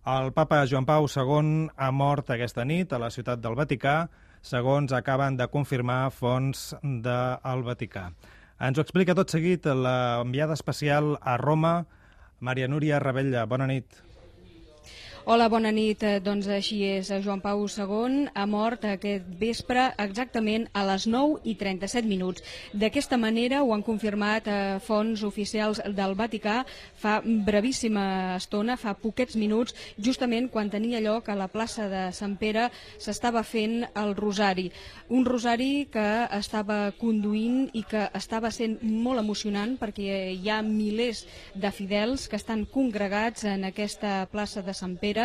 El papa Joan Pau II ha mort aquesta nit a la ciutat del Vaticà, segons acaben de confirmar fonts del Vaticà. Ens ho explica tot seguit l'enviada especial a Roma, Maria Núria Ravella. Bona nit. Hola, bona nit. Doncs així és. Joan Pau II ha mort aquest vespre exactament a les 9:37. D'aquesta manera ho han confirmat fonts oficials del Vaticà fa brevíssima estona, fa poquets minuts, justament quan tenia lloc a la plaça de Sant Pere s'estava fent el rosari. Un rosari que estava conduint i que estava sent molt emocionant perquè hi ha milers de fidels que estan congregats en aquesta plaça de Sant Pere.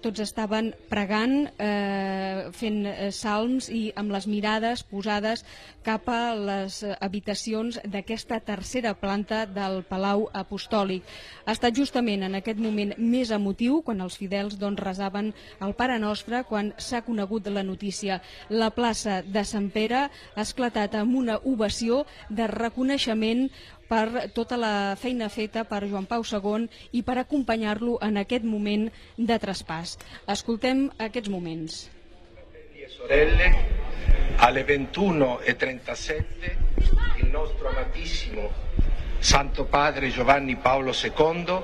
Tots estaven pregant, fent salms i amb les mirades posades cap a les habitacions d'aquesta tercera planta del Palau Apostòlic. Ha estat justament en aquest moment més emotiu quan els fidels resaven el Pare Nostre quan s'ha conegut la notícia. La plaça de Sant Pere ha esclatat amb una ovació de reconeixement per tota la feina feta per Joan Pau II i per acompanyar-lo en aquest moment de traspàs. Escoltem aquests moments. Fratelli e sorelle, alle 21:37 il nostro amatissimo Santo Padre Giovanni Paolo II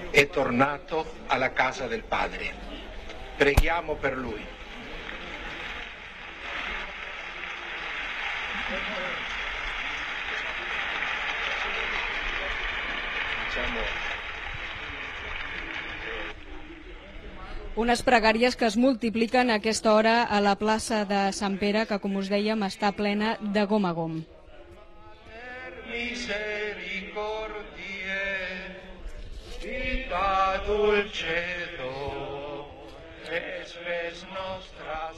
è tornato alla casa del Padre. Preghiamo per lui. Unes pregàries que es multipliquen a aquesta hora a la plaça de Sant Pere, que, com us dèiem, està plena de gom a gom. Vita dulcedo, espes nostras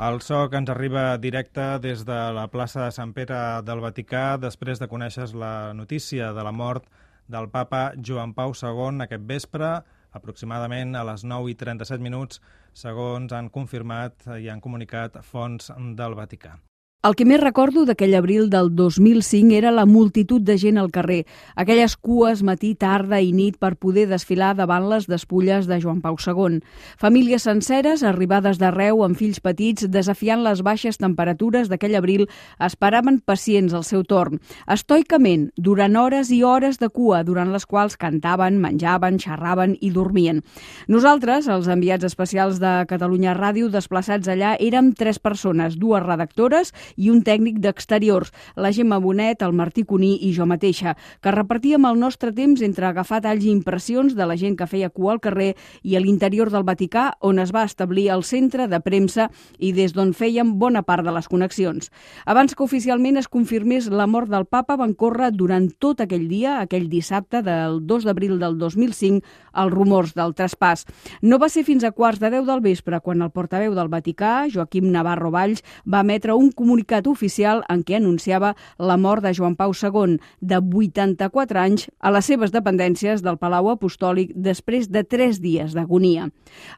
El so que ens arriba directe des de la plaça de Sant Pere del Vaticà després de conèixer la notícia de la mort del papa Joan Pau II aquest vespre, aproximadament a les 9:37, segons han confirmat i han comunicat fonts del Vaticà. El que més recordo d'aquell abril del 2005 era la multitud de gent al carrer, aquelles cues matí, tarda i nit per poder desfilar davant les despulles de Joan Pau II. Famílies senceres, arribades d'arreu amb fills petits, desafiant les baixes temperatures d'aquell abril, esperaven pacients al seu torn. Estoicament, durant hores i hores de cua, durant les quals cantaven, menjaven, xerraven i dormien. Nosaltres, els enviats especials de Catalunya Ràdio, desplaçats allà, érem 3 persones, 2 redactores i un tècnic d'exteriors, la Gemma Bonet, el Martí Cuní i jo mateixa, que repartíem el nostre temps entre agafar talls i impressions de la gent que feia cua al carrer i a l'interior del Vaticà, on es va establir el centre de premsa i des d'on fèiem bona part de les connexions. Abans que oficialment es confirmés la mort del papa, van córrer durant tot aquell dia, aquell dissabte del 2 d'abril del 2005, els rumors del traspàs. No va ser fins a 9:15 del vespre quan el portaveu del Vaticà, Joaquim Navarro Valls, va emetre un comunicat oficial en què anunciava la mort de Joan Pau II, de 84 anys, a les seves dependències del Palau Apostòlic després de 3 dies d'agonia.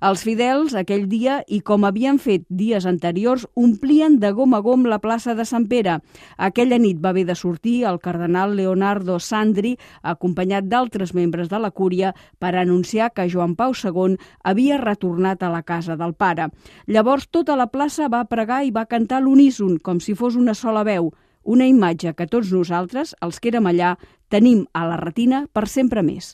Els fidels, aquell dia, i com havien fet dies anteriors, omplien de gom a gom la plaça de Sant Pere. Aquella nit va haver de sortir el cardenal Leonardo Sandri, acompanyat d'altres membres de la cúria, per anunciar que Joan Pau II havia retornat a la casa del pare. Llavors tota la plaça va pregar i va cantar a l'uníson, com si fos una sola veu, una imatge que tots nosaltres, els que érem allà, tenim a la retina per sempre més.